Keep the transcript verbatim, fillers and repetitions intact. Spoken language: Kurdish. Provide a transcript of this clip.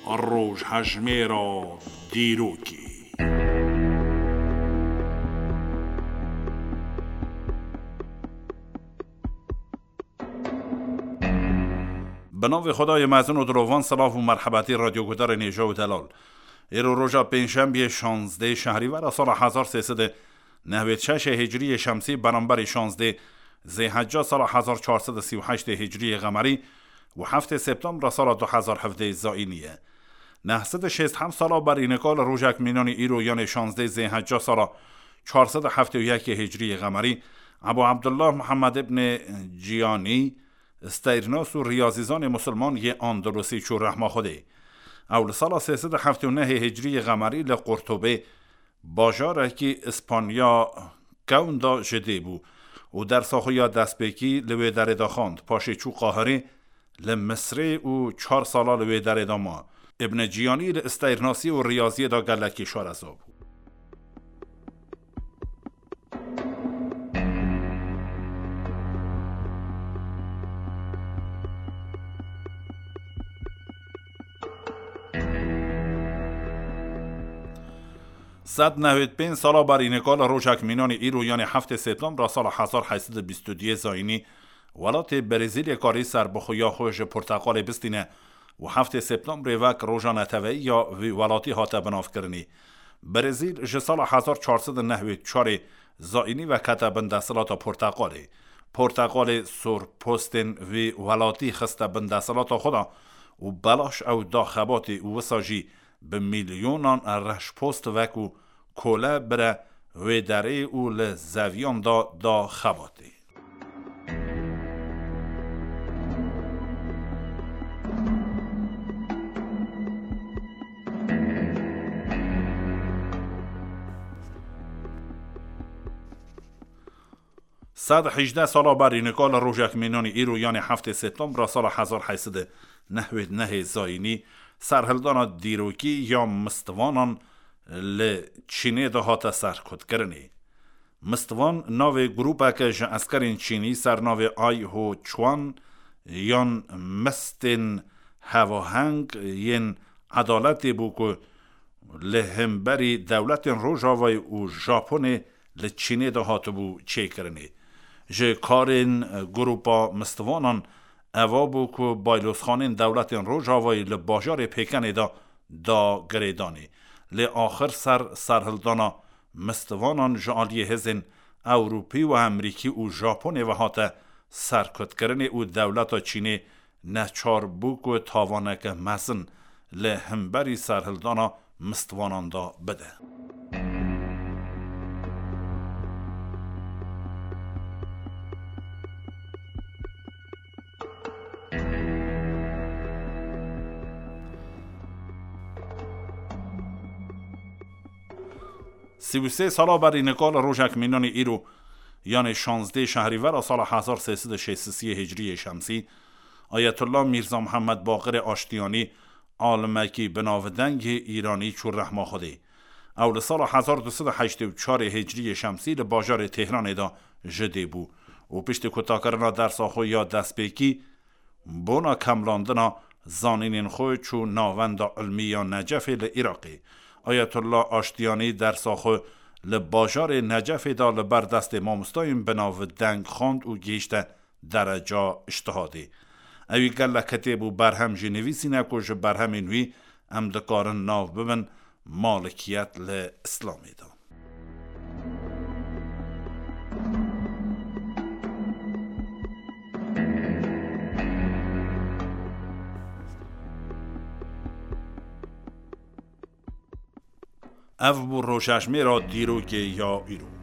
Rojhejmêra dîrokê. Bi navê Xwedayê mezin û dilovan, silav û merhebetî radyogudarên hêja û delal. Îro roja pêncşembiyê şazdeh şehrîvera sala hezar sê sed û nehwêd şeşê hicriyê şemsî, beramberî şazdeh zêhecca sala hezar çar sed û sî û heştê hicriyê qemerî û heftê septembra sala du hezar hevdeh zayînî ye. Neh sed û şêst heft sala berî nika li rojek mînanî îro, yanê şazdeh zêhecca sala çar sed û heftê û yekê hicriyê qemerî, Ebu Abdullah Muhammed ibn Ciyanî, steyrnas û riyazîzanê musulman yê Andalusî çû rehma Xwedê. Ew li sala sê sed û heftê û nehê hicriyê qemerî li Qurtubê, bajarekî Îspanya kewn de, ji dê bû û dersa xwe ya destpêkî li wê derê de xwend. Paşê çû Qahirê, li Misrê û çar sala li wê derê de ma. Ibn Ciyanî li isteyrnasî û riyaziyê de gelekî şareza bû. Sed nehwêd pênc sala berî nika li rojek mînanî îro, yanê heftê septembra sala hezar heyt sed û bîst û duyê zayînî, welatê Brezîlyê karî serbixweya xwe ji porteqalê bistîne û heftê septembrê wek roja neteweyî ya vî welatî hate binavkirinî. Brezîl ji sala hezar çar sed û nehwêd çarê zayînî ve kete bin desthilata porteqalê. Porteqalê sorpostên vî welatî xiste bin desthilata xwe de û belaş ew da xebatê û wisa jî bi milyonan reşpost wekû kole bire wê derê û li zeviyan de da xebatê. Sed hejdeh sala berî nika li rojek mînanî îro, yanê heftê septembra sala hezar heyt sed û nehwêd nehê zayînî, serhildana dîrokî ya mistvanan li Çînê de hate serkutkirinê. Mistvan navê grûpeke ji eskerên Çînî ser navê Ai Ho Chuan yan Mistên Hevaheng yên Edaletê bû ku li hemberî dewletên Rojavayê û Japonê li Çînê de hatibû çêkirinê. Ji karên grûpa mistvanan eva bû ku baylozxanên dewletên Rojavayê li bajarê Pêkenê de da girêdanê. Lê axir ser serhildana mistvanan ji aliyê hêzên Ewropî û Amerîkî û Japonê ve hate serkutkirinê û dewleta Çînê neçar bû ku tawaneke mezin li hemberî serhildana mistvanan de bide. Sî û sê sala berî nika li rojek mînanî îro, yanê şazdeh şehrîvera sala hezar sê sed û şêst û sê hicriyê şemsî, Ayetullah Mîrza Mihemed Baqirê Aştiyanî, alimekî binavdeng yê Îranî, çû rehma Xwedê. Ew li sala hezar du sed û heştê û çarê hicriyê şemsî li bajarê Tehranê de ji dê bû û piştî kutakirina dersa xwe ya destpêkî, bona kemlandina zanînên xwe çû Navenda Ilmî ya Necefê li Iraqê. Ayetullah Aştiyanî dersa xwe li bajarê Necefê de li ber destê mamostayên binavdeng xwend û gihîşte dereca îctihadê. Ewî gelek kitêb û berhem jî nivîsîne ku ji berhemên wî em dikarin nav bibin Malikiyet li Îslamê de. Ev bû rojejmêra dîrokê ya îro.